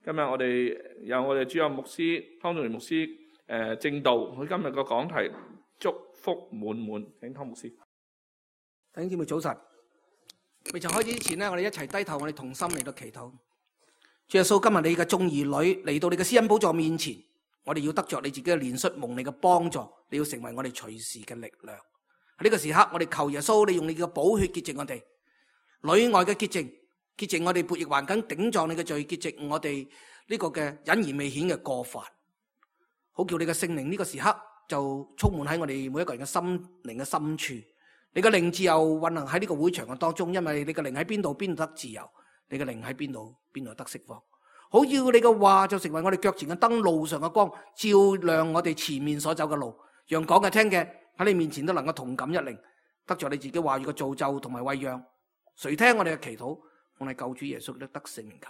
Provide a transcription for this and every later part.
今日我哋有我哋主任牧師湯仲元牧師正道，佢今日個講題祝福滿滿，請湯牧師。弟兄姊妹早晨，未曾開始之前呢，我哋一齊低頭，我哋同心嚟到祈禱。主耶穌，今日你嘅眾兒女嚟到你嘅施恩寶座面前，我哋要得着你自己嘅憐恤，蒙你嘅幫助，你要成為我哋隨時嘅力量。喺呢個時刻，我哋求耶穌，你用你嘅寶血潔淨我哋裏外嘅潔淨，潔淨我哋悖逆頑梗頂撞你嘅罪，潔淨我哋呢個嘅隱而未顯嘅過犯，好叫你嘅聖靈呢個時刻就充滿喺我哋每一個人嘅心靈嘅深處。你嘅靈自由運行喺呢個會場嘅當中，因為你嘅靈喺邊度，邊度得自由；你嘅靈喺邊度，邊度得釋放。好要你嘅話就成為我哋腳前嘅燈，路上嘅光，照亮我哋前面所走嘅路，讓講嘅聽嘅喺你面前都能夠同感一靈，得着你自己話語嘅造就同埋餵養。誰聽我哋嘅祈禱，我哋救主耶穌都得聖名求，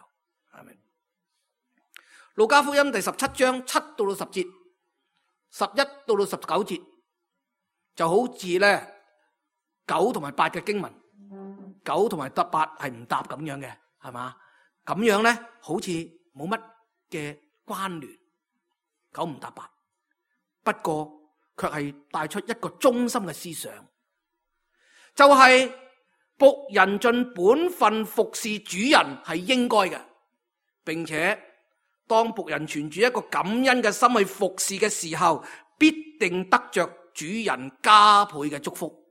阿們。路加福音第17章7到10節，11到19節，就好似咧9同埋8嘅經文，9同埋8係唔搭咁樣嘅，係嘛？咁樣咧好似冇乜嘅關聯，9唔搭8，不過卻係帶出一個中心嘅思想，就係僕人盡本分服侍主人係應該嘅，並且當僕人存住一個感恩嘅心去服侍嘅時候，必定得着主人加倍嘅祝福，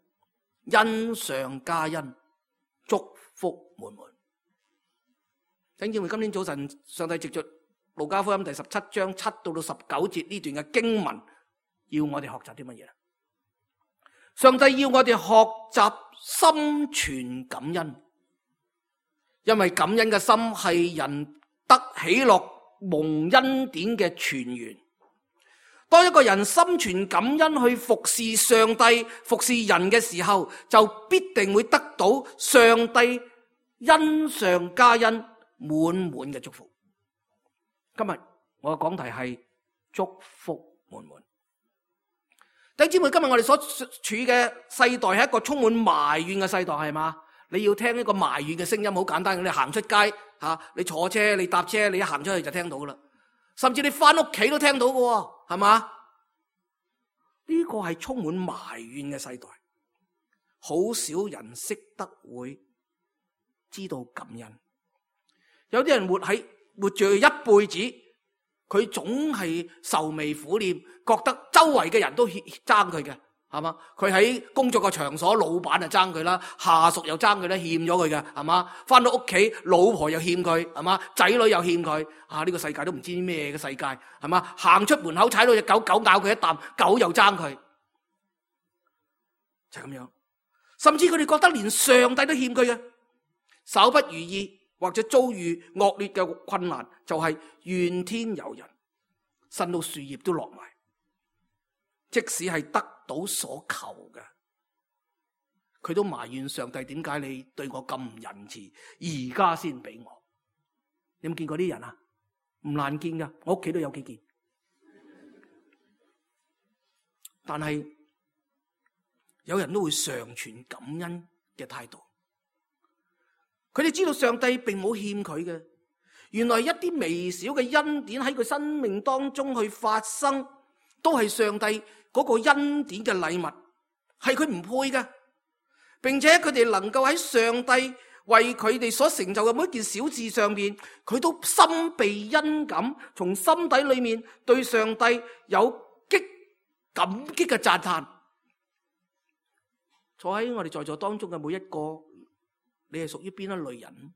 恩上加恩，祝福滿滿。弟兄姊妹，今天早晨上帝藉着路加福音第17章7到19節呢段嘅經文，要我哋學習啲乜嘢？上帝要我哋學習心存感恩，因為感恩嘅心係人得喜樂蒙恩典嘅泉源。當一個人心存感恩去服侍上帝、服侍人嘅時候，就必定會得到上帝恩上加恩、滿滿嘅祝福。今日我嘅講題係祝福滿滿。弟兄姊妹，今日我哋所處嘅世代係一個充滿埋怨嘅世代，係嘛？你要聽一個埋怨嘅聲音，好簡單嘅，你行出街你坐車、你搭車，你一行出去就聽到噶啦。甚至你翻屋企都聽到嘅，係嘛？呢個係充滿埋怨嘅世代，好少人識得會知道感恩。有啲人活住一輩子，佢總係愁眉苦臉，覺得周圍嘅人都爭佢嘅，係嘛？佢喺工作嘅場所，老闆就爭佢啦，下屬又爭佢啦，欠咗佢嘅，係嘛？翻到屋企，老婆又欠佢，係嘛？仔女又欠佢，呢個世界都唔知咩嘅世界，係嘛？行出門口踩到隻狗，狗咬佢一啖，狗又爭佢，就係咁樣。甚至佢哋覺得連上帝都欠佢嘅，稍不如意或者遭遇惡劣嘅困難，就係怨天尤人，呻到樹葉都落埋。即使係得到所求嘅，佢都埋怨上帝，點解你對我咁唔仁慈，而家先俾我？你有冇見過啲人啊？唔難見噶，我屋企都有幾件。但係有人都會常存感恩嘅態度，佢哋知道上帝並冇欠佢嘅，原來一啲微小嘅恩典喺佢生命當中去發生，都係上帝嗰個恩典嘅禮物，係佢唔配嘅，並且佢哋能夠喺上帝為佢哋所成就嘅每一件小事上面，佢都心備恩感，從心底裏面對上帝有感激嘅讚嘆。坐喺我哋在座當中嘅每一個，你係屬於邊一類人？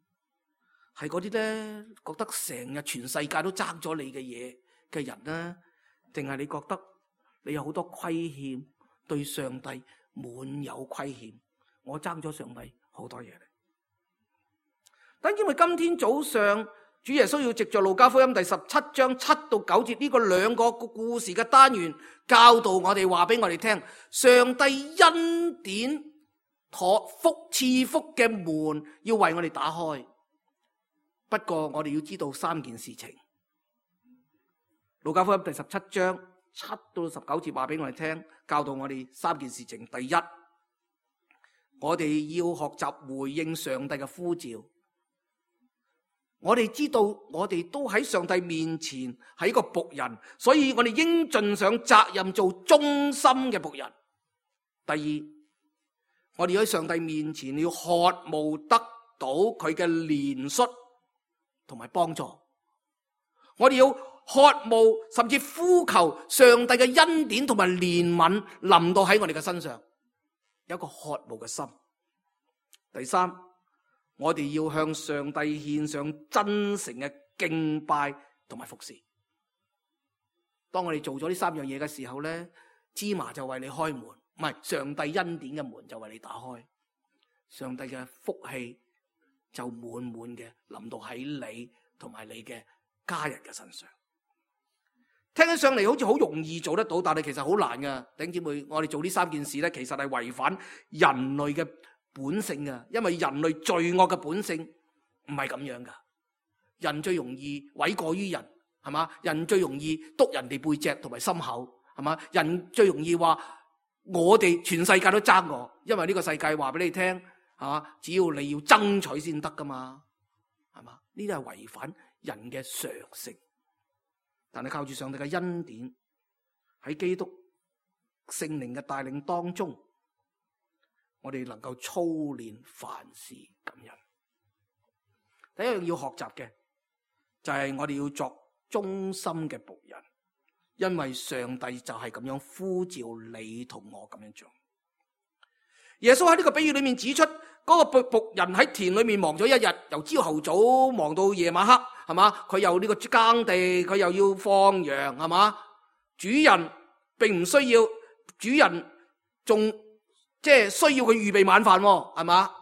係嗰啲咧覺得成日全世界都爭咗你嘅嘢嘅人呢？定係你覺得你有好多虧欠，對上帝滿有虧欠？我爭咗上帝好多嘢嚟。但因為今天早上主耶穌要藉着路加福音第17章7到9節呢個兩個故事嘅單元，教導我哋，話俾我哋聽，上帝恩典賜福嘅門要為我哋打開。不過我哋要知道3件事情。路加福音第17章7到19節話俾我哋聽，教導我哋3件事情。第一，我哋要學習回應上帝嘅呼召。我哋知道我哋都喺上帝面前係一個僕人，所以我哋應盡上責任做忠心嘅僕人。第二，我哋喺上帝面前要渴慕得到佢嘅憐恤同埋幫助，我哋要渴慕甚至呼求上帝嘅恩典同埋憐憫臨到喺我哋嘅身上，有一個渴慕嘅心。第三，我哋要向上帝獻上真誠嘅敬拜同埋服侍。當我哋做咗呢三樣嘢嘅時候咧，芝麻就為你開門，唔係，上帝恩典嘅門就為你打開，上帝嘅福氣就滿滿嘅臨到喺你同埋你嘅家人嘅身上。聽起上嚟好似好容易做得到，但係其實好難噶。弟兄姊妹，我哋做呢三件事咧，其實係違反人類嘅本性噶，因為人類罪惡嘅本性唔係咁樣噶。人最容易諉過於人，係嘛？人最容易督人哋背脊同埋心口，係嘛？人最容易話我哋全世界都爭我，因為呢個世界話俾你聽，係嘛？只要你要爭取先得噶嘛，係嘛？呢啲係違反人嘅常性。但係靠住上帝嘅恩典，喺基督聖靈嘅帶領當中，我哋能夠操練凡事感恩。第一樣要學習嘅就係我哋要作忠心嘅僕人，因為上帝就係咁樣呼召你同我咁樣做。耶穌喺呢個比喻裏面指出，嗰個僕人喺田裏面忙咗一日，由朝頭早忙到夜晚黑，係嘛？佢又呢個耕地，佢又要放羊，係嘛？主人並唔需要，主人仲即係需要佢預備晚飯，係嘛？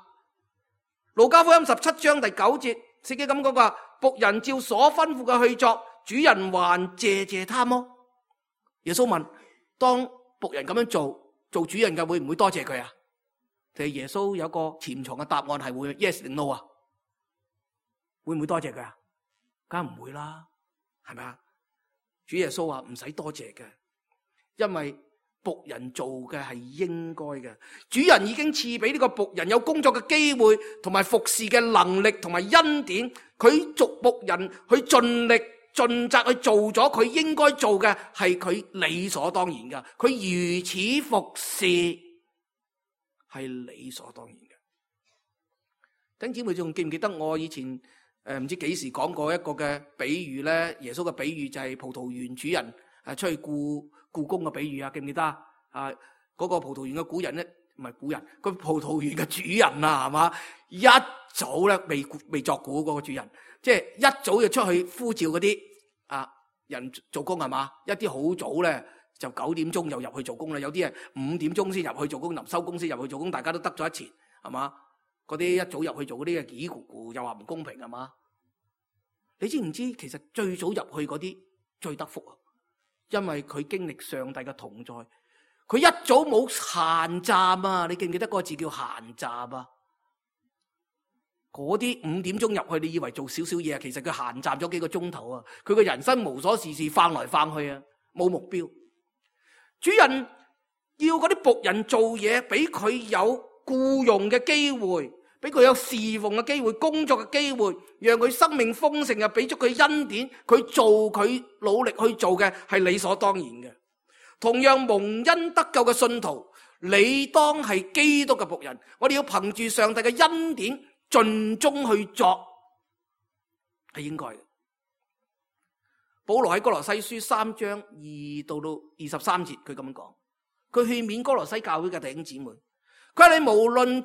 路加福音17章第9節，聖經咁講話，僕人照所吩咐嘅去作，主人還謝謝他麼？耶穌問：當僕人咁樣做主人嘅，會唔會多謝佢啊？其實耶穌有個潛藏嘅答案係會 yes 定 no 啊？會唔會多謝佢啊？梗係唔會啦，係咪啊？主耶穌話唔使多謝嘅，因為僕人做嘅係應該嘅。主人已經賜俾呢個僕人有工作嘅機會，同埋服侍嘅能力同埋恩典。佢做僕人去盡力盡責去做咗佢應該做嘅，係佢理所當然嘅。佢如此服侍係理所當然嘅。弟兄姊妹仲記唔記得我以前唔知幾時講過一個嘅比喻咧？耶穌嘅比喻就係葡萄園主人出去僱工嘅比喻啊，記唔記得啊？嗰個葡萄園嘅古人咧，唔係古人，個葡萄園嘅主人啊，係嘛？一早咧未作古嗰個主人，即係一早就出去呼召嗰啲人做工，係嘛？一啲好早咧就9點鐘就入去做工啦，有啲係5點鐘先入去做工，臨收工先入去做工，大家都得咗一錢，係嘛？嗰啲一早入去做嗰啲嘅幾咕咕，又話唔公平，係嘛？你知唔知其實最早入去嗰啲最得福啊？因為佢經歷上帝嘅同在，佢一早冇閒站啊！你記唔記得嗰個字叫閒站啊？嗰啲5點鐘入去，你以為做少少嘢啊？其實佢閒站咗幾個鐘頭啊！佢個人生無所事事，翻來翻去啊，冇目標。主人要嗰啲僕人做嘢，俾佢有僱用嘅機會，俾佢有侍奉嘅機會，工作嘅機會，讓佢生命豐盛啊！俾咗佢恩典，佢做佢努力去做嘅係理所當然嘅。同樣蒙恩得救嘅信徒，你當係基督嘅僕人，我哋要憑住上帝嘅恩典盡忠去作，係應該嘅。保羅喺哥羅西書3章2到23節，佢咁樣講，佢勸勉哥羅西教會嘅弟兄姊妹，佢話你無論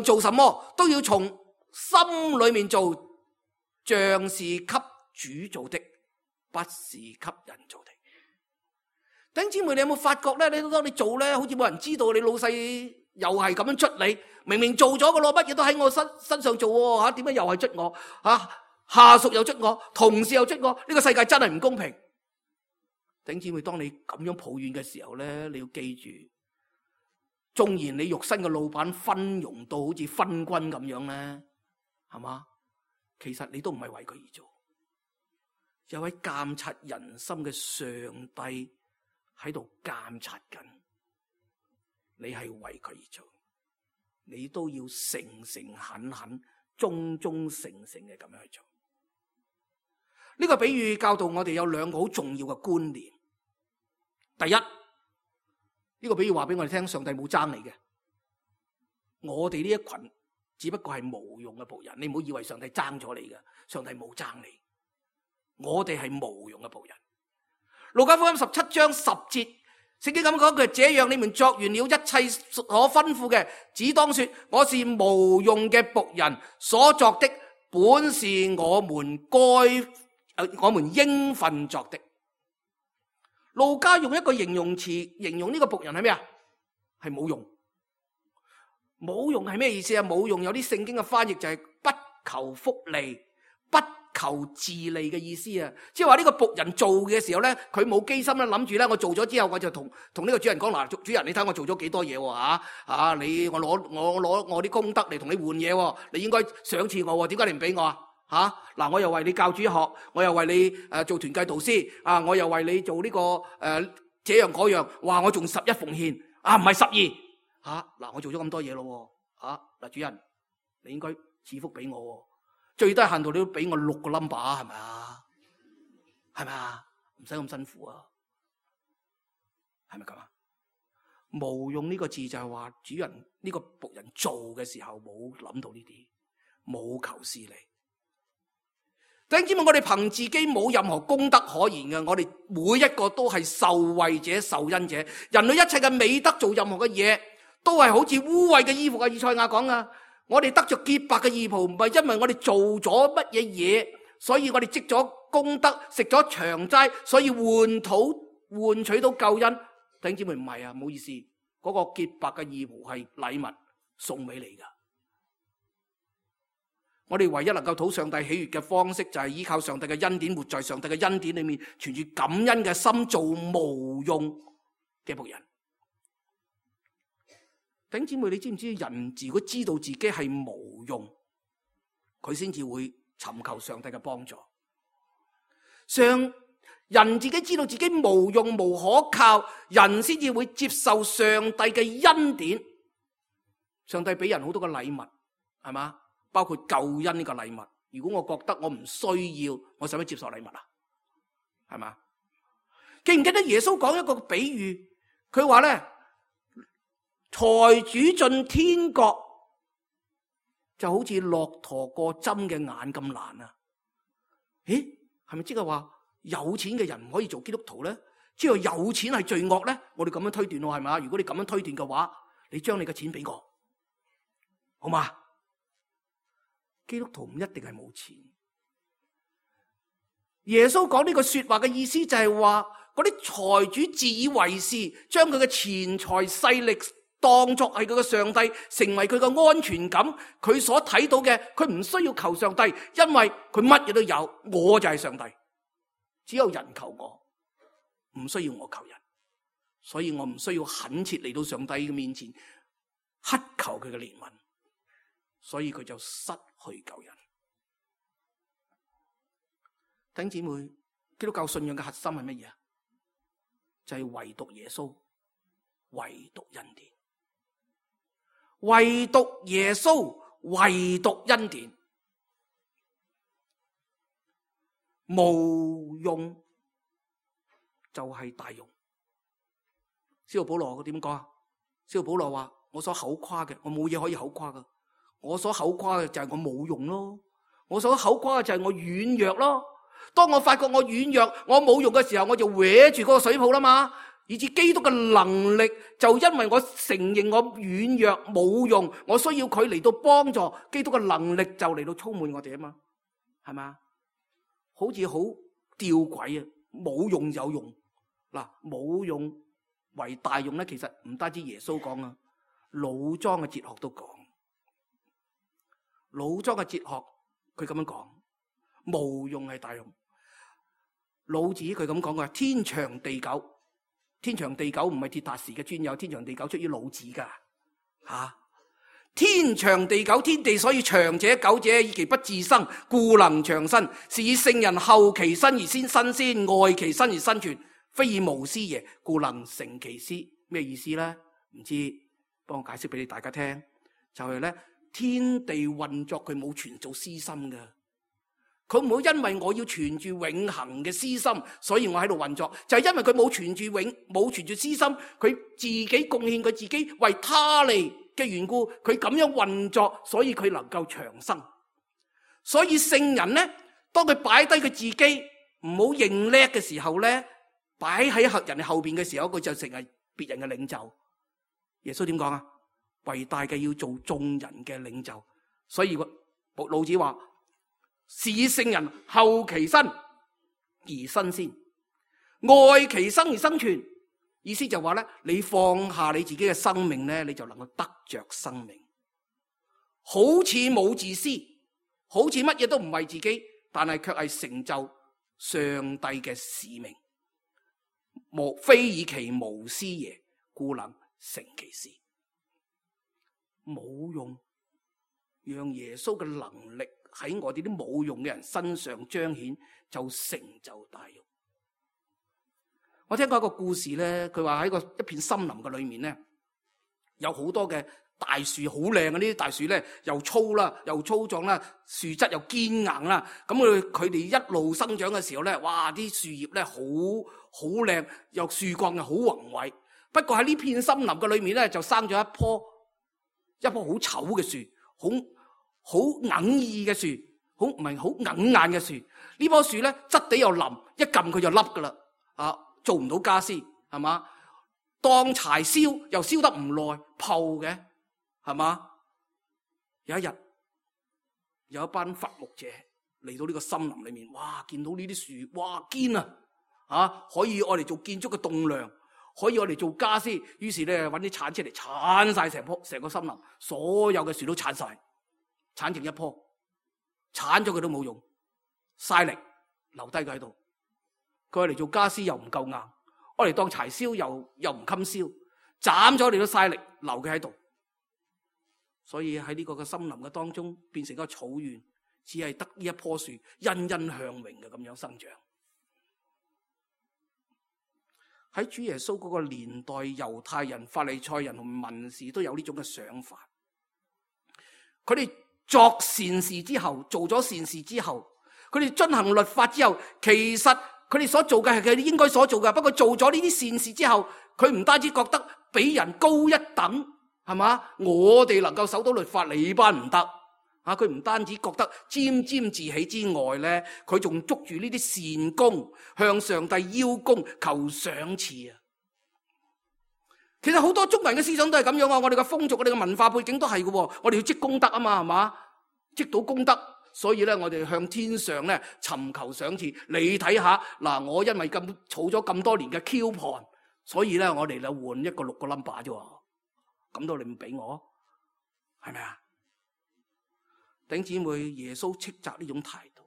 做什麼，都要從心裏面做，像是給主做的，不是給人做的。弟兄姊妹，你有冇發覺咧？你當你做咧，好似冇人知道，你老細又係咁樣捽你，明明做咗噶咯，乜嘢都喺我身上做吓，點解又係捽我吓？下屬又捽我，同事又捽我，呢個世界真係唔公平。弟兄姊妹，當你咁樣抱怨嘅時候咧，你要記住，縱然你肉身嘅老闆昏庸到好似昏君咁樣咧，係嘛？其實你都唔係為佢而做，有位監察人心嘅上帝喺度監察緊，你係為佢而做，你都要誠誠懇懇、忠忠誠誠嘅咁樣去做。呢個比喻教導我哋有兩個好重要嘅觀念。第一，呢個比喻話俾我哋聽，上帝冇爭你嘅，我哋呢一群只不過係無用嘅僕人。你唔好以為上帝爭咗你嘅，上帝冇爭你，我哋係無用嘅僕人。路加福音17章10節，聖經咁講，佢這樣你們作完了一切所吩咐嘅，只當說我是無用嘅僕人，所作的本是我們應份作的。路加用一個形容詞形容呢個僕人係咩啊？係冇用。冇用係咩意思啊？冇用有啲聖經嘅翻譯就係不求福利、不求自利嘅意思啊！即係話呢個僕人做嘅時候咧，佢冇機心咧，諗住咧我做咗之後，我就同呢個主人講嗱，主人你睇我做咗幾多嘢喎你我攞我啲功德嚟同你換嘢喎，你應該賞賜我喎，點解你唔俾我啊？嗱，我又為你教主學，我又為你做團契導師啊，我又為你做呢個這樣嗰樣，哇！我仲11奉獻啊，唔係12嗱，我做咗咁多嘢咯嗱，主人你應該賜福俾我喎。最低限度你都俾我6個 number 係咪啊？係咪啊？唔使咁辛苦啊？係咪咁啊？無用呢個字就係話主人呢個僕人做嘅時候冇諗到呢啲，冇求私利。弟兄姊妹，我哋憑自己冇任何功德可言嘅，我哋每一個都係受惠者、受恩者。人類一切嘅美德做任何嘅嘢，都係好似污穢嘅衣服啊！以賽亞講啊。我哋得着潔白嘅義袍，唔係因為我哋做咗乜嘢嘢，所以我哋積咗功德，食咗長齋，所以換取到救恩。弟兄姊妹，唔係啊，唔好意思，嗰個潔白嘅義袍係禮物送俾你噶。我哋唯一能夠討上帝喜悅嘅方式，就係依靠上帝嘅恩典，活在上帝嘅恩典裏面，存住感恩嘅心，做無用嘅僕人。弟兄姊妹，你知唔知人如果知道自己係無用，佢先至會尋求上帝嘅幫助。人自己知道自己無用無可靠，人先至會接受上帝嘅恩典。上帝俾人好多嘅禮物，係嘛？包括救恩呢個禮物。如果我覺得我唔需要，我使乜接受禮物啊？係嘛？記唔記得耶穌講一個比喻？佢話咧，財主進天國就好似駱駝過針嘅眼咁難啊！咦，係咪即係話有錢嘅人唔可以做基督徒咧？即係有錢係罪惡咧？我哋咁樣推斷喎，係咪？如果你咁樣推斷嘅話，你將你嘅錢俾我，好嘛？基督徒唔一定係冇錢。耶穌講呢個說話嘅意思就係話，嗰啲財主自以為是，將佢嘅錢財勢力當作係佢嘅上帝，成為佢嘅安全感。佢所睇到嘅，佢唔需要求上帝，因為佢乜嘢都有，我就係上帝。只有人求我，唔需要我求人，所以我唔需要懇切嚟到上帝嘅面前乞求佢嘅憐憫，所以佢就失去救人。弟兄姊妹，基督教信仰嘅核心係乜嘢啊？就係唯獨耶穌，唯獨恩典，唯獨耶穌，唯獨恩典。無用就係大用。使徒保羅佢點講啊？使徒保羅話：我所口誇嘅，我冇嘢可以口誇噶。我所口誇嘅就係我冇用咯。我所口誇嘅就係我軟弱咯。當我發覺我軟弱，我冇用嘅時候，我就搲住嗰個水泡啦嘛。以至基督嘅能力，就因為我承認我軟弱冇用，我需要佢嚟到幫助，基督嘅能力就嚟到充滿我哋啊嘛，係嘛？好似好吊詭啊！冇用有用，嗱，冇用為大用咧，其實唔單止耶穌講啊，老莊嘅哲學都講。老莊嘅哲學佢咁樣講，無用係大用。老子佢咁講嘅，天長地久。天長地久唔係鐵達時嘅專有，天長地久出於老子噶吓。天長地久，天地所以長者久者，以其不自生，故能長生。是以聖人後其身而先身先，愛其身而身存，非以無私耶，故能成其私。咩意思咧？唔知，幫我解釋俾你大家聽。就係咧，天地運作佢冇全做私心噶，佢唔好因為我要存住永恆嘅私心，所以我喺度運作，就係因為佢冇存住私心，佢自己貢獻佢自己為他利嘅緣故，佢咁樣運作，所以佢能夠長生。所以聖人呢，當佢擺低佢自己唔好認叻嘅時候呢，擺喺人哋後邊嘅時候，佢就成為別人嘅領袖。耶穌點講啊？為大嘅要做眾人嘅領袖。所以老子話：是聖人後其身而身先，愛其生而生存。意思就話咧，你放下你自己嘅生命咧，你就能夠得着生命。好似冇自私，好似乜嘢都唔為自己，但係卻係成就上帝嘅使命。非以其無私耶，故能成其事。冇用，讓耶穌嘅能力喺我哋啲冇用嘅人身上彰顯，就成就大用。我聽過一個故事咧，佢話喺一片森林嘅裏面咧，有好多嘅大樹，好靚嘅呢啲大樹咧，又粗啦，又粗壯啦，樹質又堅硬啦。咁佢哋一路生長嘅時候咧，哇！啲樹葉咧好靚，又樹幹又好宏偉。不過喺呢片森林嘅裏面咧，就生咗一棵好醜嘅樹，好硬意嘅樹，唔係好硬硬嘅樹。呢棵樹咧質地又腍，一撳佢就凹噶啦，做唔到家私，係嘛？當柴燒又燒得唔耐，泡嘅，係嘛？有一日，有一班伐木者嚟到呢個森林裏面，哇！見到呢啲樹，哇堅啊，可以愛嚟做建築嘅棟梁，可以愛嚟做家私。於是咧揾啲鏟出嚟鏟晒成個森林，所有嘅樹都鏟晒，鏟剩一棵，鏟咗佢都冇用，嘥力留低佢喺度。佢愛嚟做家私又唔夠硬，愛嚟當柴燒又唔襟燒，斬咗你都嘥力，留佢喺度。所以喺呢個嘅森林嘅當中，變成一個草原，只係得呢一棵樹欣欣向榮嘅咁樣生長。喺主耶穌嗰個年代，猶太人、法利賽人同文士都有呢種嘅想法。佢哋作善事之後，做咗善事之後，佢哋遵行律法之後，其實佢哋所做嘅係佢哋應該所做嘅。不過做咗呢啲善事之後，佢唔單止覺得比人高一等，係嘛？我哋能夠守到律法，你班唔得啊！佢唔單止覺得沾沾自喜之外咧，佢仲捉住呢啲善功，向上帝邀功求賞賜啊！其實好多中國人嘅思想都係咁樣啊！我哋嘅風俗、我哋嘅文化背景都係嘅，我哋要積功德啊嘛，係嘛？積到功德。所以咧，我哋向天上咧尋求賞賜。你睇下嗱，我因為咁儲咗咁多年嘅 coupon，所以咧我哋就換一個6個 number 啫。咁都你唔俾我，係咪啊？弟兄姊妹，耶穌斥責呢種態度。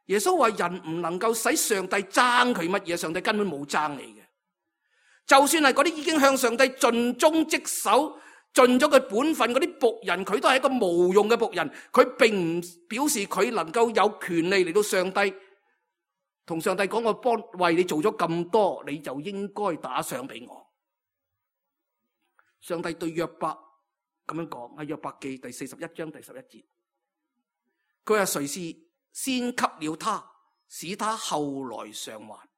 耶穌話：人唔能夠使上帝爭佢乜嘢，上帝根本冇爭你嘅。就算係嗰啲已經向上帝盡忠職守，盡咗佢本分嗰啲僕人，佢都係一個無用嘅僕人。佢並唔表示佢能夠有權利嚟到上帝同上帝講：我為你做咗咁多，你就應該打賞俾我。上帝對約伯咁樣講，喺約伯記第41章第11節，佢話：誰是先給了他，使他後來償還？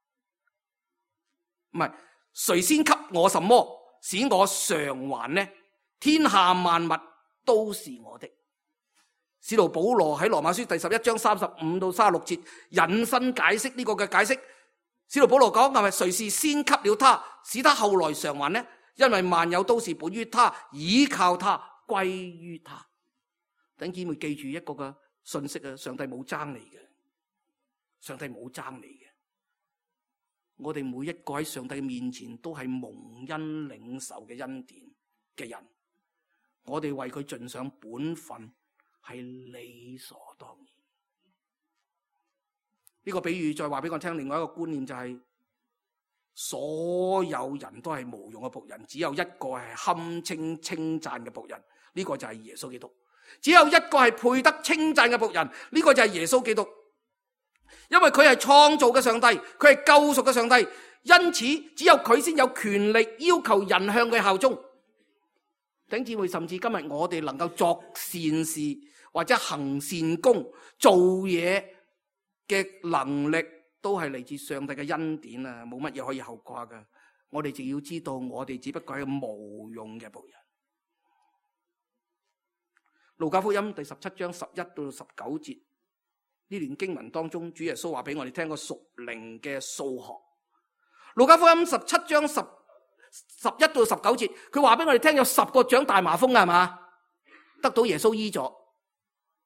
唔係，誰先給我什麼，使我償還呢？天下萬物都是我的。使徒保羅喺羅馬書第11章35到36節引申解釋呢個嘅解釋。使徒保羅講，係咪誰是先給了他，使他後來償還呢？因為萬有都是本於他，倚靠他，歸於他。弟兄姊妹記住一個嘅信息啊，上帝冇爭你嘅，上帝冇爭你嘅。我哋每一個喺上帝面前都係蒙恩領受嘅恩典嘅人，我哋為佢盡上本分係理所當然。呢個比喻再話俾我聽，另外一個觀念就係，所有人都係無用嘅僕人，只有一個係堪稱稱讚嘅僕人，呢個就係耶穌基督。只有一個係配得稱讚嘅僕人，呢個就係耶穌基督。因為佢係創造嘅上帝，佢係救贖嘅上帝，因此只有佢先有權力要求人向佢效忠。弟兄姊妹，甚至今日我哋能夠作善事或者行善功、做嘢嘅能力，都係嚟自上帝嘅恩典啊！冇乜嘢可以後掛噶。我哋就要知道，我哋只不過係個無用嘅僕人。路加福音第17章11到19節，呢段經文當中，主耶穌話俾我哋聽個屬靈嘅數學。路加福音17章11到19節，佢話俾我哋聽有10個長大麻風嘅係嘛，得到耶穌醫咗，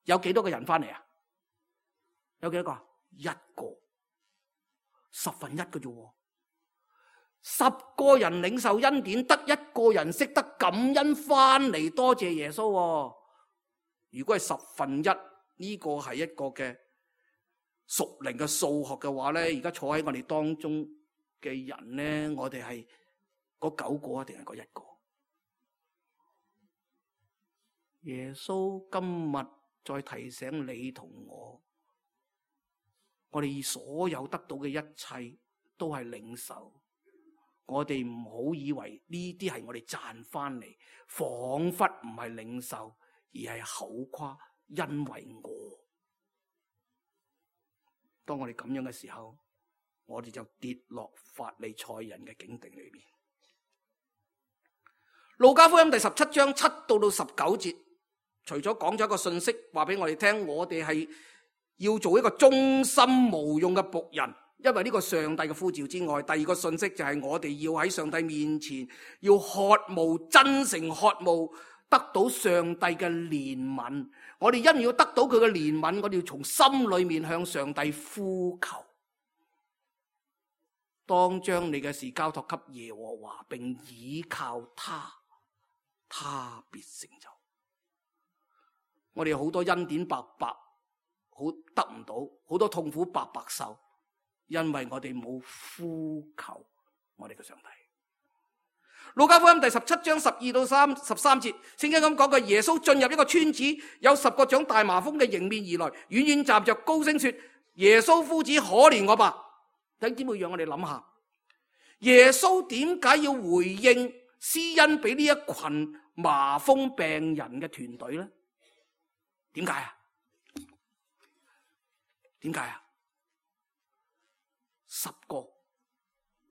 有幾多個人翻嚟啊？有幾多個？1個，1/10嘅啫。10個人領受恩典，得1個人識得感恩翻嚟多謝耶穌。如果係1/10，呢個係一個嘅屬靈嘅數學嘅話咧，而家坐喺我哋當中嘅人咧，我哋係嗰9個定係嗰1個？耶穌今日再提醒你同我哋所有得到嘅一切都係領受。我哋唔好以為呢啲係我哋賺翻嚟，仿佛唔係領受，而係口誇，因為我。當我哋咁樣嘅時候，我哋就跌落法利賽人嘅境地裏面。路加福音第17章7到19節，除咗講咗一個信息話俾我哋聽，我哋係要做一個忠心無用嘅僕人，因為呢個上帝嘅呼召之外，第二個信息就係我哋要喺上帝面前要渴慕，真誠渴慕得到上帝嘅憐憫。我哋因要得到佢嘅憐憫，我哋要從心裏面向上帝呼求。當將你嘅事交託給耶和華，並倚靠他必成就。我哋好多恩典白白好得唔到，好多痛苦白白受，因為我哋冇呼求我哋嘅上帝。路加福音第17章12到13節，聖經咁講過，耶穌進入一個村子，有10個長大麻風嘅迎面而來，遠遠站着高聲說：耶穌夫子，可憐我吧！弟兄姊妹，讓我哋諗下，耶穌點解要回應施恩俾呢一群麻風病人嘅團隊呢？點解啊？點解啊？10個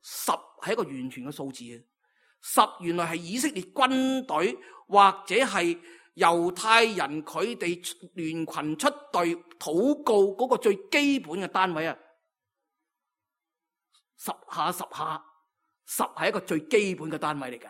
，10係一個完全嘅數字啊！10原來係以色列軍隊或者係猶太人佢哋聯群出隊禱告嗰個最基本嘅單位啊！10下10下，10係一個最基本嘅單位嚟噶。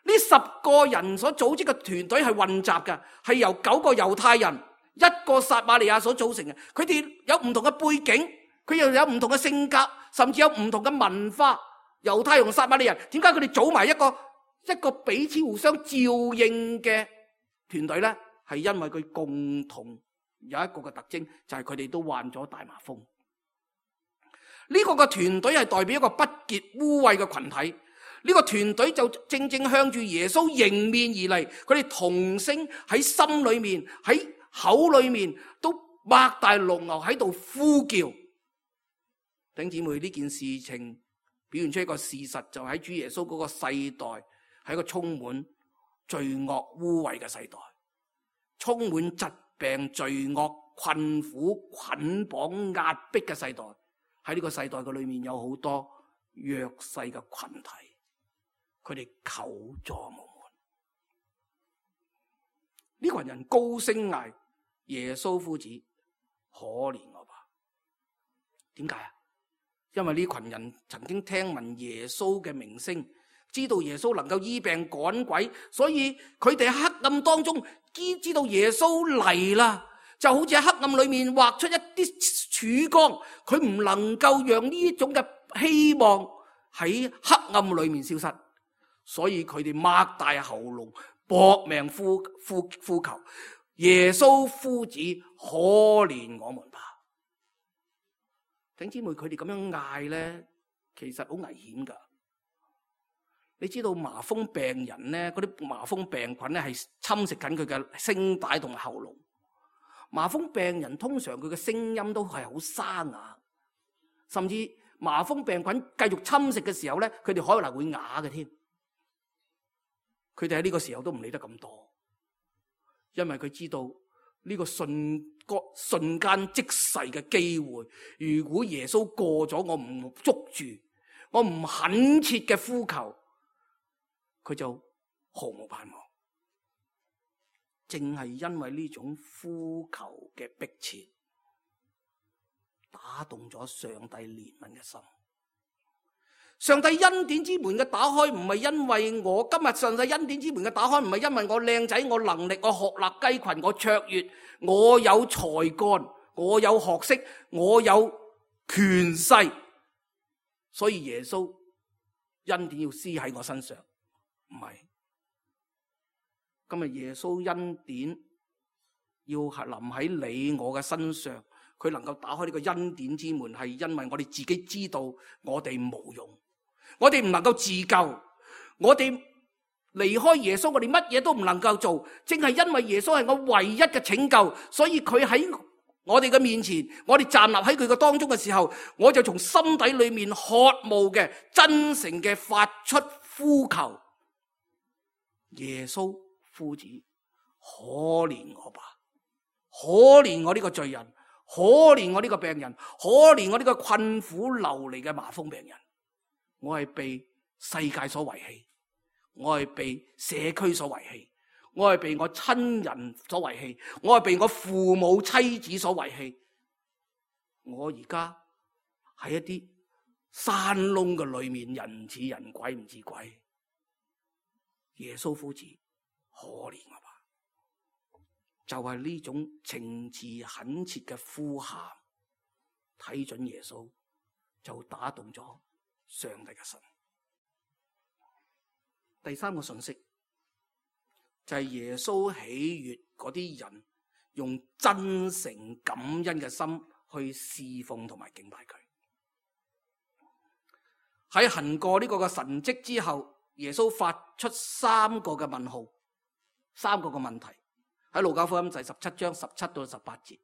呢10個人所組織嘅團隊係混雜嘅，係由9個猶太人、1個撒瑪利亞所組成嘅。佢哋有唔同嘅背景，佢又有唔同嘅性格，甚至有唔同嘅文化。猶太同撒瑪利亞人，點解佢哋組埋一個彼此互相照應嘅團隊呢？係因為佢共同有一個嘅特徵，就係佢哋都患咗大麻風。呢個嘅團隊係代表一個不潔污穢嘅群體。呢個團隊就正正向住耶穌迎面而嚟，佢哋同聲喺心裏面、喺口裏面都擘大龍牛喺度呼叫。弟兄姊妹，呢件事情表現出一個事實，就喺主耶穌嗰個世代係一個充滿罪惡污穢嘅世代，充滿疾病、罪惡、困苦、捆綁、壓迫嘅世代。喺呢個世代嘅裏面有好多弱勢嘅群體，佢哋求助無門。呢群人高聲嗌：耶穌夫子，可憐我吧！點解啊？因為呢群人曾經聽聞耶穌嘅名聲，知道耶穌能夠醫病趕鬼，所以佢哋喺黑暗當中知道耶穌嚟啦，就好似喺黑暗裏面畫出一啲曙光，佢唔能夠讓呢種嘅希望喺黑暗裏面消失，所以佢哋擘大喉嚨搏命呼求耶穌夫子，可憐我們吧！弟兄姊妹，佢哋咁樣嗌咧，其實好危險噶。你知道麻風病人咧，嗰啲麻風病菌咧係侵蝕緊佢嘅聲帶同埋喉嚨。麻風病人通常佢嘅聲音都係好沙啞，甚至麻風病菌繼續侵蝕嘅時候咧，佢哋可能會啞嘅添。佢哋喺呢個時候都唔理得咁多，因為佢知道呢個瞬間即逝嘅機會，如果耶穌過咗，我唔捉住，我唔懇切嘅呼求，佢就毫無盼望。正係因為呢種呼求嘅迫切，打動咗上帝憐憫嘅心。上帝恩典之門嘅打開唔係因為我今日，上帝恩典之門嘅打開唔係因為我靚仔，我能力，我學歷雞群，我卓越，我有才幹，我有學識，我有權勢，所以耶穌恩典要施喺我身上，唔係。今日耶穌恩典要係臨喺你我嘅身上，佢能夠打開呢個恩典之門，係因為我哋自己知道我哋無用，我哋唔能夠自救，我哋離開耶穌，我哋乜嘢都唔能夠做。正係因為耶穌係我唯一嘅拯救，所以佢喺我哋嘅面前，我哋站立喺佢嘅當中嘅時候，我就從心底裏面渴慕嘅真誠嘅發出呼求，耶穌夫子，可憐我吧，可憐我呢個罪人，可憐我呢個病人，可憐我呢個困苦流離嘅麻風病人。我係被世界所遺棄，我係被社區所遺棄，我係被我親人所遺棄，我係被我父母妻子所遺棄。我而家喺一啲山窿嘅裏面，人似人鬼唔似鬼。耶穌夫子，可憐我吧，就係呢種情詞懇切嘅呼喊，睇準耶穌就打動咗上帝嘅心。第三個信息就係耶穌喜悅嗰啲人用真誠感恩嘅心去侍奉同埋敬拜佢。喺行過呢個嘅神蹟之後，耶穌發出三個嘅問號，三個嘅問題，喺路加福音第17章17到18節。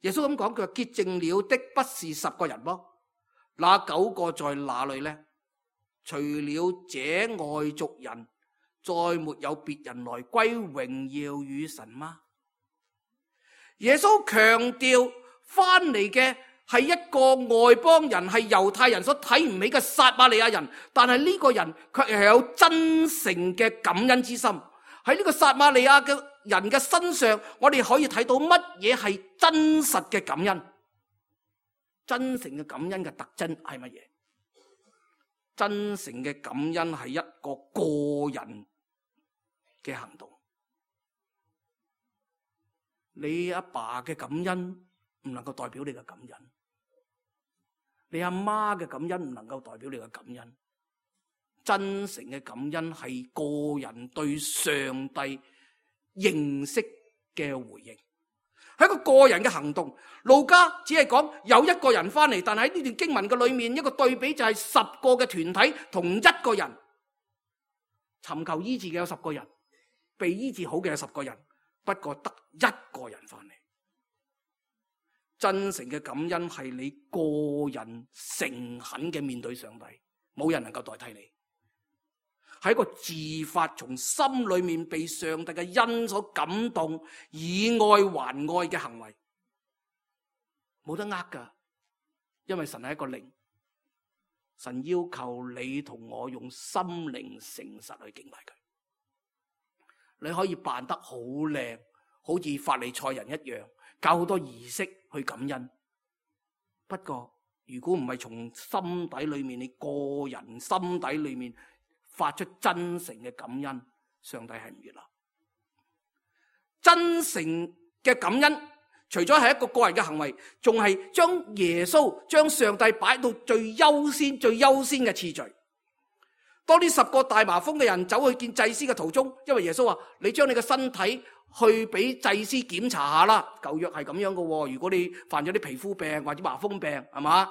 耶穌咁講，佢話潔淨了的不是10個人麼？那9個在哪裏呢？除了這外族人，再沒有別人來歸榮耀與神嗎？耶穌強調翻嚟嘅係一個外邦人，係猶太人所睇唔起嘅撒瑪利亞人，但係呢個人卻係有真誠嘅感恩之心。喺呢個撒瑪利亞嘅人嘅身上，我哋可以睇到乜嘢係真實嘅感恩。真誠嘅感恩嘅特徵係乜嘢？真誠嘅感恩係一個個人嘅行動。你阿爸嘅感恩唔能夠代表你嘅感恩，你阿媽嘅感恩唔能夠代表你嘅感恩。真誠嘅感恩係個人對上帝認識嘅回應，係一個個人嘅行動。路加只係講有一個人翻嚟，但係喺呢段經文嘅裏面，一個對比就係10個嘅團體同一個人，尋求醫治嘅有10個人，被醫治好嘅有10個人，不過得一個人翻嚟。真誠嘅感恩係你個人誠懇嘅面對上帝，冇人能夠代替你。係一個自發從心裏面被上帝嘅恩所感動，以愛還愛嘅行為，冇得呃噶。因為神係一個靈，神要求你同我用心靈誠實去敬拜佢。你可以扮得好靚，好似法利賽人一樣，搞好多儀式去感恩。不過如果唔係從心底裏面，你個人心底裏面發出真誠嘅感恩，上帝係唔悅納。真誠嘅感恩除咗係一個個人嘅行為，仲係將耶穌、將上帝擺到最優先嘅次序。當呢10個大麻風嘅人走去見祭司嘅途中，因為耶穌話：你將你嘅身體去俾祭司檢查下啦。舊約係咁樣嘅，如果你犯咗啲皮膚病或者麻風病，係嘛？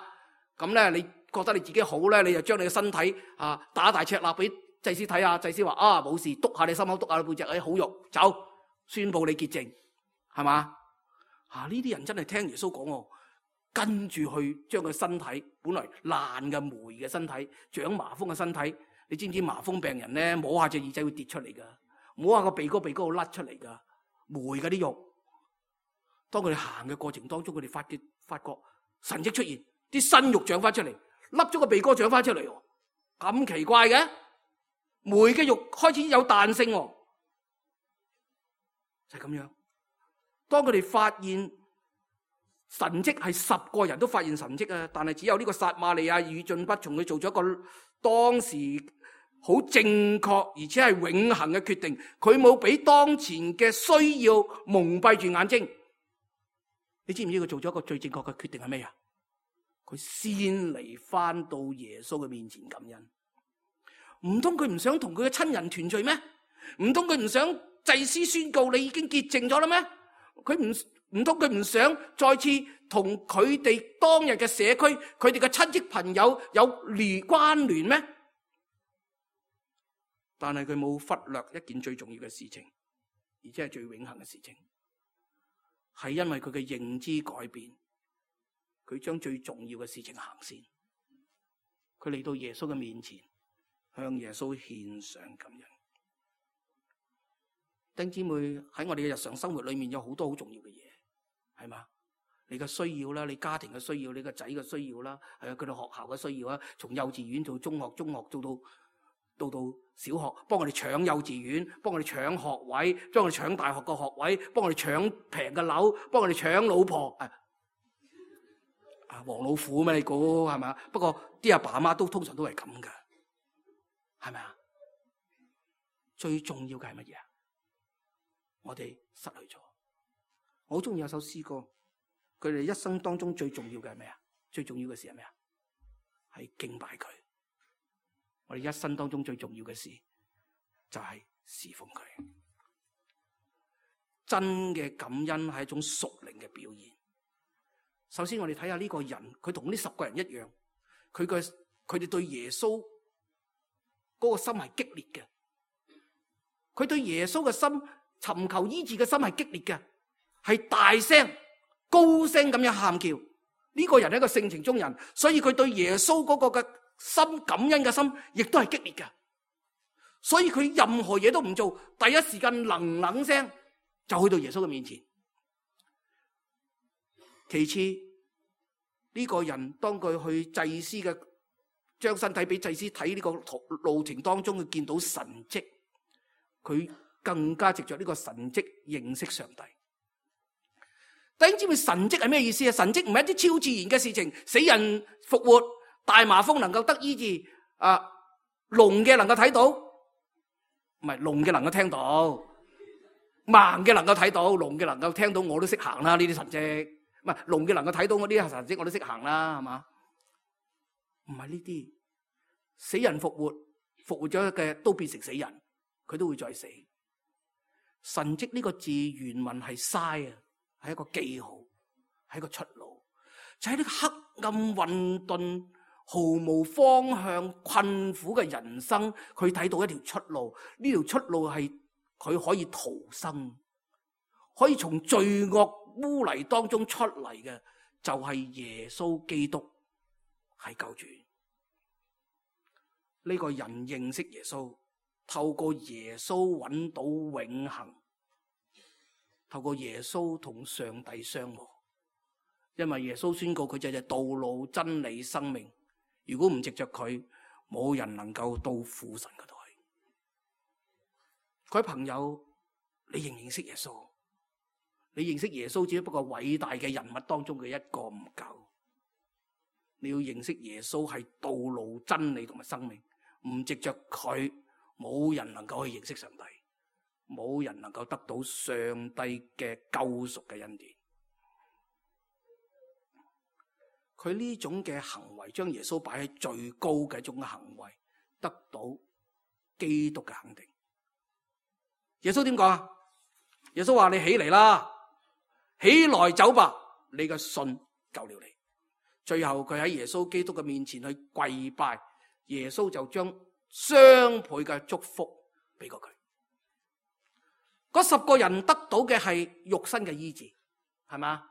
咁咧你覺得你自己好咧，你就將你嘅身體打大赤肋俾祭司睇下。祭司話：冇事，督下你心口，督下你背脊，好肉，走，宣布你潔淨，係嘛？呢啲人真係聽耶穌講，跟住去將佢身體本來爛嘅霉嘅身體、長麻風嘅身體你知唔知麻風病人咧摸下隻耳仔會跌出嚟噶，摸下個鼻哥會甩出嚟噶，霉噶啲肉。當佢哋行嘅過程當中，佢哋發覺神蹟出現，啲新肉長翻出嚟，甩咗個鼻哥長翻出嚟，咁奇怪嘅，霉嘅肉開始有彈性，就係咁樣。當佢哋發現神蹟，係10個人都發現神蹟啊，但係只有呢個撒瑪利亞與進不從，佢做咗一個當時好正確而且係永恆嘅決定，佢冇俾當前嘅需要蒙蔽住眼睛。你知唔知佢做咗一個最正確嘅決定係咩啊？佢先嚟翻到耶穌嘅面前感恩。唔通佢唔想同佢嘅親人團聚咩？唔通佢唔想祭司宣告你已經潔淨咗啦咩？唔通佢唔想再次同佢哋當日嘅社區、佢哋嘅親戚朋友有關聯咩？但係佢冇忽略一件最重要嘅事情，而且係最永恆嘅事情，係因為佢嘅認知改變，佢將最重要嘅事情行先。佢嚟到耶穌嘅面前，向耶穌獻上感恩。弟兄姊妹，喺我哋嘅日常生活裏面有好多好重要嘅嘢，係嘛？你嘅需要啦，你家庭嘅需要，你個仔嘅需要啦，係啊，佢哋學校嘅需要啊，從幼稚園到中學，到小學，幫我哋搶幼稚園，幫我哋搶學位，幫我哋搶大學嘅學位，幫我哋搶平嘅樓，幫我哋搶老婆，黃老虎咩？你估係咪？不過啲阿爸阿媽都通常都係咁噶，係咪啊？最重要嘅係乜嘢啊？我哋失去咗。我好中意有首詩歌，佢哋一生當中最重要嘅係咩啊？最重要嘅事係咩啊？係敬拜佢。我哋一生當中最重要嘅事就係侍奉佢。真嘅感恩係一種屬靈嘅表現。首先我哋睇下呢個人，佢同呢10個人一樣，佢哋對耶穌嗰個心係激烈嘅。佢對耶穌嘅心，尋求醫治嘅心係激烈嘅，係大聲高聲咁樣喊叫。呢個人係一個性情中人，所以佢對耶穌嗰個嘅心，感恩嘅心亦都係激烈嘅。所以佢任何嘢都唔做，第一時間冷聲就去到耶穌嘅面前。其次，呢個人當佢去祭司嘅，將身體俾祭司睇，呢個路程當中佢見到神蹟，佢更加藉着呢個神蹟認識上帝。弟兄姊妹，神蹟係咩意思啊？神蹟唔係一啲超自然嘅事情，死人復活，大麻風能夠得醫治，聾嘅能夠睇到，唔係聾嘅能夠聽到，盲嘅能夠睇到，聾嘅能夠聽到，我都識行啦。呢啲神蹟，唔係聾嘅能夠睇到我啲神蹟，我都識行啦，係嘛？唔係呢啲，死人復活咗嘅都變成死人，佢都會再死。神蹟呢個字原文係 sign 啊，係一個記號，係一個出路，就喺呢個黑暗混沌、毫無方向、困苦嘅人生，佢睇到一條出路。呢條出路係佢可以逃生，可以從罪惡污泥當中出嚟嘅，就係耶穌基督係救主。呢個人認識耶穌，透過耶穌揾到永恆，透過耶穌同上帝相和。因為耶穌宣告佢就係道路、真理、生命。如果唔藉着佢，冇人能夠到父神嗰度去。各位朋友，你認唔認識耶穌？你認識耶穌只不過偉大嘅人物當中嘅一個唔夠。你要認識耶穌係道路、真理同埋生命。唔藉着佢，冇人能夠去認識上帝，冇人能夠得到上帝嘅救贖嘅恩典。佢呢種嘅行為，將耶穌擺喺最高嘅一種行為，得到基督嘅肯定。耶穌點講啊？耶穌話：你起嚟啦，起來走吧，你嘅信救了你。最後佢喺耶穌基督嘅面前去跪拜。耶穌就將雙倍嘅祝福俾過佢。嗰10個人得到嘅係肉身嘅醫治，係嘛？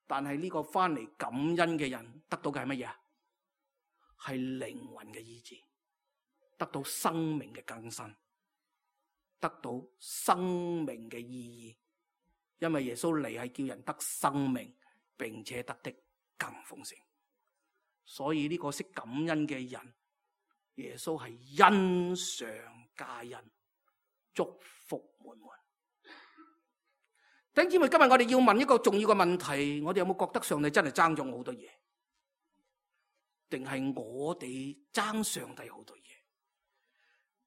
但係呢個翻嚟感恩嘅人得到嘅係乜嘢？係靈魂嘅醫治。得到生命嘅更新，得到生命嘅意義。因為耶穌嚟係叫人得生命，並且得的更豐盛。所以呢個識感恩嘅人，耶穌係恩上加恩，祝福滿滿。弟兄姊妹，今日我哋要問一個重要嘅問題，我哋有冇覺得上帝真係爭咗我好多嘢？定係我哋爭上帝好多嘢？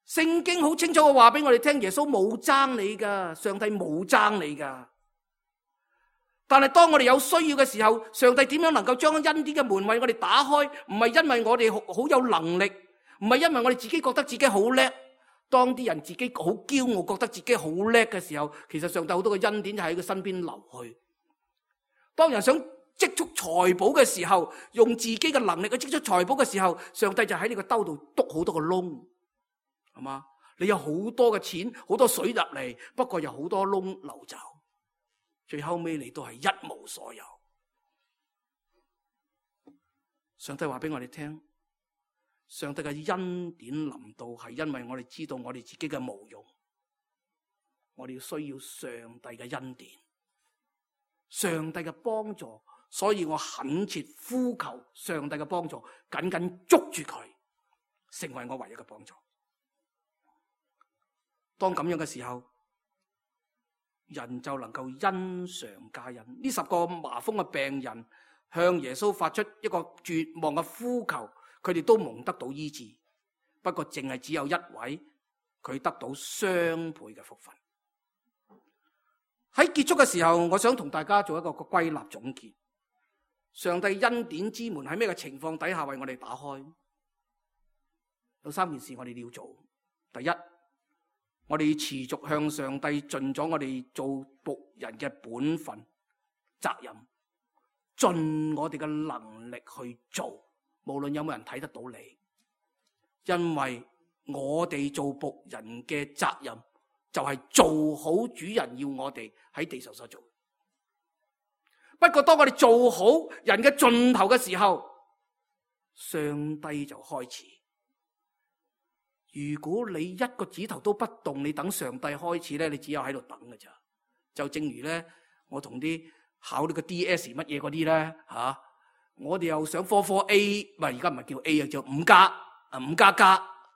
聖經好清楚嘅話俾我哋聽，耶穌冇爭你噶，上帝冇爭你噶。但係當我哋有需要嘅時候，上帝點樣能夠將恩典嘅門為我哋打開？唔係因為我哋好有能力，唔係因為我哋自己覺得自己好叻。當啲人自己好驕傲，覺得自己好叻嘅時候，其實上帝好多嘅恩典就喺佢身邊流去。當人想積蓄財寶嘅時候，用自己嘅能力去積蓄財寶嘅時候，上帝就喺你個兜度篤好多個窿，係嘛？你有好多嘅錢，好多水入嚟，不過有好多窿流走，最後尾你都係一無所有。上帝話俾我哋聽，上帝嘅恩典臨到係因為我哋知道我哋自己嘅無用，我哋要需要上帝嘅恩典，上帝嘅幫助，所以我懇切呼求上帝嘅幫助，緊緊捉住佢，成為我唯一嘅幫助。當咁樣嘅時候，人就能夠恩上加恩。呢10個麻風嘅病人向耶穌發出一個絕望嘅呼求，佢哋都蒙得到醫治，不過淨係只有一位，佢得到雙倍嘅福分。喺結束嘅時候，我想同大家做一個歸納總結。上帝恩典之門喺咩嘅情況底下為我哋打開？有3件事我哋要做。第一，我哋要持續向上帝盡咗我哋做僕人嘅本分責任，盡我哋嘅能力去做。無論有冇人睇得到你，因為我哋做僕人嘅責任就係做好主人要我哋喺地上所做。不過當我哋做好人嘅盡頭嘅時候，上帝就開始。如果你一個指頭都不動，你等上帝開始咧，你只有喺度等㗎咋。就正如咧，我同啲考呢個 DS 乜嘢嗰啲咧吓。我哋又想科 A， 唔係而家唔係叫 A 啊，叫5+5++，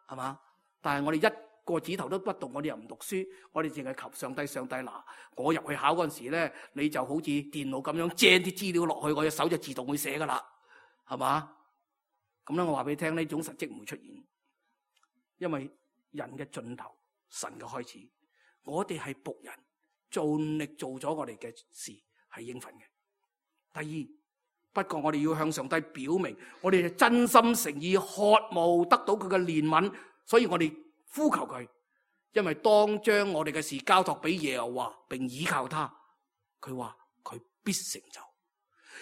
係嘛？但係我哋一個指頭都不動，我哋又唔讀書，我哋淨係求上帝。上帝嗱，我入去考嗰陣時咧，你就好似電腦咁樣掟啲資料落去，我隻手就自動會寫噶啦，係嘛？咁咧，我話俾你聽，呢種實績唔會出現，因為人嘅盡頭，神嘅開始，我哋係僕人，盡力做咗我哋嘅事係應份嘅。第二。不過我哋要向上帝表明，我哋真心誠意渴慕得到佢嘅憐憫，所以我哋呼求佢。因為當將我哋嘅事交託俾耶和華，並倚靠他，佢話佢必成就。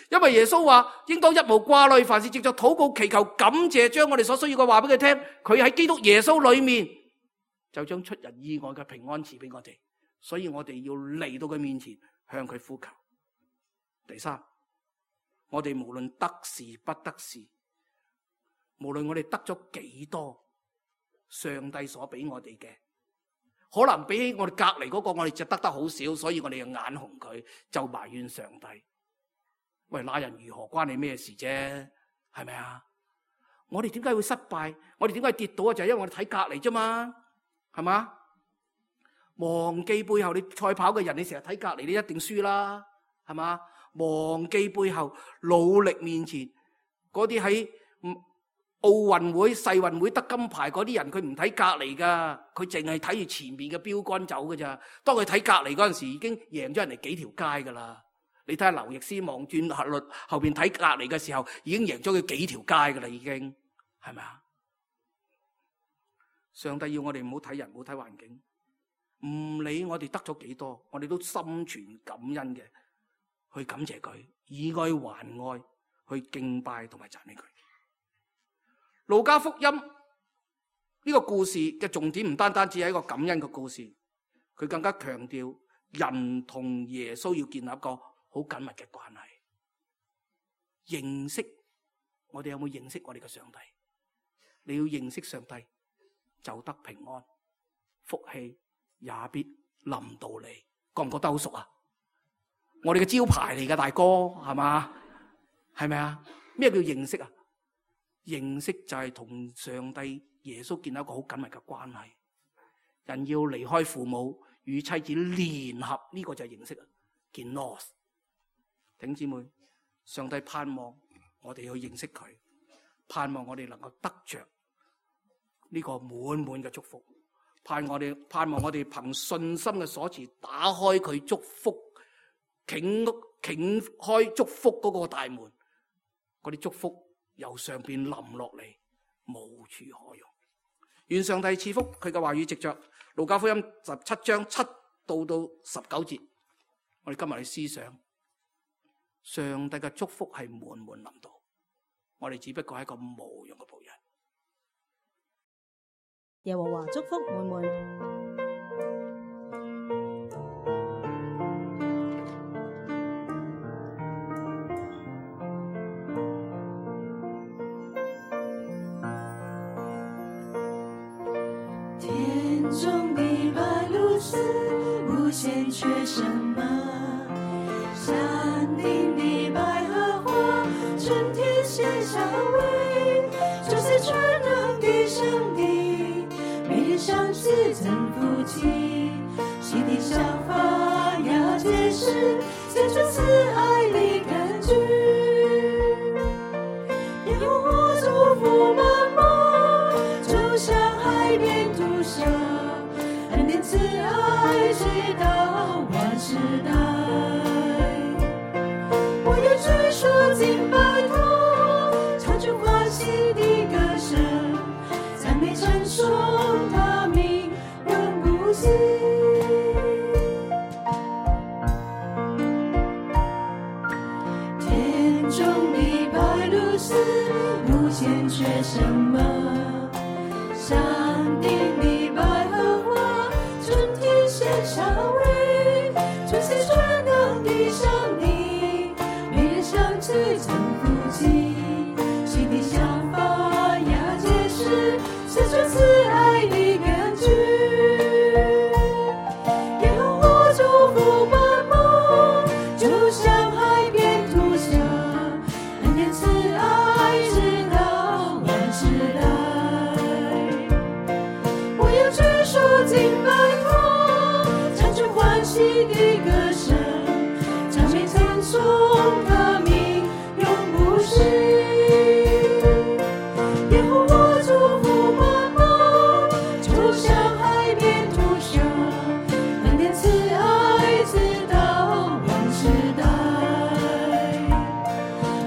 因為耶穌話應當一無掛慮，凡事藉着禱告祈求感謝，將我哋所需要嘅話俾佢聽。佢喺基督耶穌裏面就將出人意外嘅平安賜俾我哋，所以我哋要嚟到佢面前向佢呼求。第三，我哋無論得事不得事，無論我哋得咗幾多，上帝所俾我哋嘅，可能比起我哋隔籬嗰個，我哋就得好少，所以我哋又眼紅佢，就埋怨上帝。喂，那人如何關你咩事啫？係咪啊？我哋點解會失敗？我哋點解跌倒啊？就係因為我哋睇隔籬啫嘛，係嘛？忘記背後，你賽跑嘅人，你成日睇隔籬，你一定輸啦，係嘛？忘記背後，努力面前，嗰啲喺奧運會、世運會得金牌嗰啲人，佢唔睇隔籬噶，佢淨係睇住前面嘅標杆走噶咋。當佢睇隔籬嗰陣時，已經贏咗人哋幾條街噶啦。你睇下劉易斯望轉後邊睇隔籬嘅時候，已經贏咗佢幾條街噶啦，已經係咪啊？上帝要我哋唔好睇人，唔好睇環境，唔理我哋得咗幾多，我哋都心存感恩嘅。去感謝佢，以愛還愛，去敬拜同埋讚美佢。路加福音呢個故事嘅重點唔單單只係一個感恩嘅故事，佢更加強調人同耶穌要建立一個好緊密嘅關係。認識，我哋有冇認識我哋嘅上帝？你要認識上帝，就得平安，福氣也必臨到你。覺唔覺得好熟啊？我哋嘅招牌嚟嘅，大哥，係嘛？係咪啊？咩叫認識啊？認識就係同上帝耶穌建立一個好緊密嘅關係。人要離開父母與妻子聯合，呢個就係認識啊，叫 Nos。弟兄姊妹，上帝盼望我哋去認識佢，盼望我哋能夠得着呢個滿滿嘅祝福，盼望我哋憑信心嘅鎖匙打開佢祝福，傾開祝福嗰個大門，嗰啲祝福由上邊臨落嚟，無處可容。願上帝賜福佢嘅話語，藉着路加福音17章7到19節，我哋今日去思想上帝嘅祝福係滿滿臨到，我哋只不過係一個無用嘅僕人。耶和華祝福滿滿。天中的白鷺鷥無限缺什麼？山頂的百合花春天獻香味，就是全能的上帝，美麗相似真福氣，心地效法要解釋，寫出慈愛的根據。耶和華祝福滿滿，就像海邊土沙，恩典慈愛直到萬世代。我要舉手敬拜他，唱出歡喜的歌聲，讚美稱頌他名永不息。天中的白鷺鷥無限缺什麼？山頂的百合花春天獻香味，這是全能的上帝，美麗相似真福氣，心地效法要解釋，寫出慈愛的根據。耶和華祝福滿滿，就像海邊土沙，恩典慈愛直到萬世代。我要舉手敬拜他，唱出歡喜的歌聲，讚美稱頌他名永不息。耶和華祝福滿滿，就像海邊土沙，恩典慈愛直到萬世代。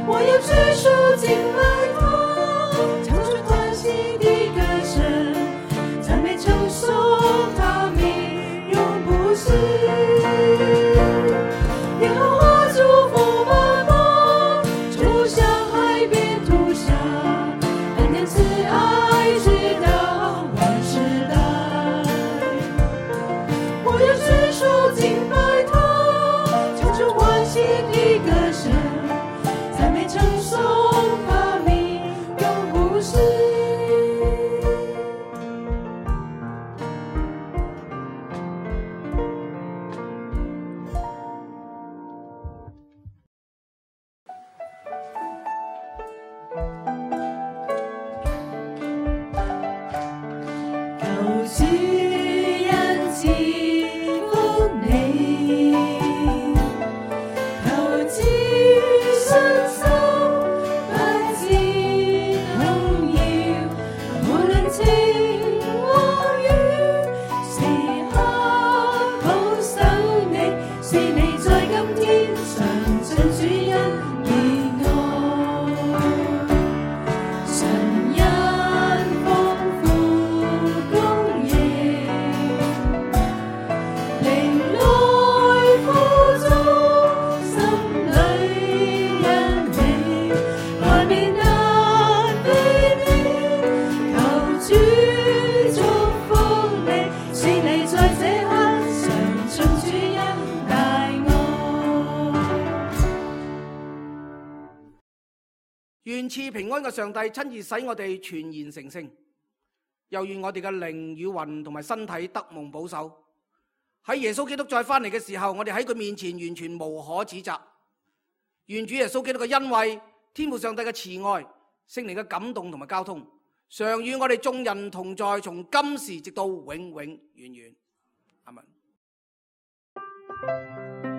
我要舉手敬拜他，唱出歡喜的歌聲，讚美稱頌他名永不息。耶和華祝福滿滿，就像海邊土沙，恩典慈愛直到萬世代。我要舉手敬拜他，唱出歡喜的歌聲，讚美稱頌他名永不息。求主恩賜福你，求主信心不致動搖，無論晴和雨，時刻保守你，使你在今天嘗盡主恩的愛。神恩豐富供應，靈來輔助，心裏欣喜，愛未能避免。求主祝福你，使你在這刻嘗盡主恩大愛。願賜平安嘅上帝親自使我哋全然成聖，又願我哋嘅靈與魂同埋身體得蒙保守。喺耶穌基督再翻嚟嘅時候，我哋喺佢面前完全無可指責。願主耶穌基督嘅恩惠、天父上帝嘅慈愛、聖靈嘅感動同埋交通，常與我哋眾人同在，從今時直到永永遠遠。阿們。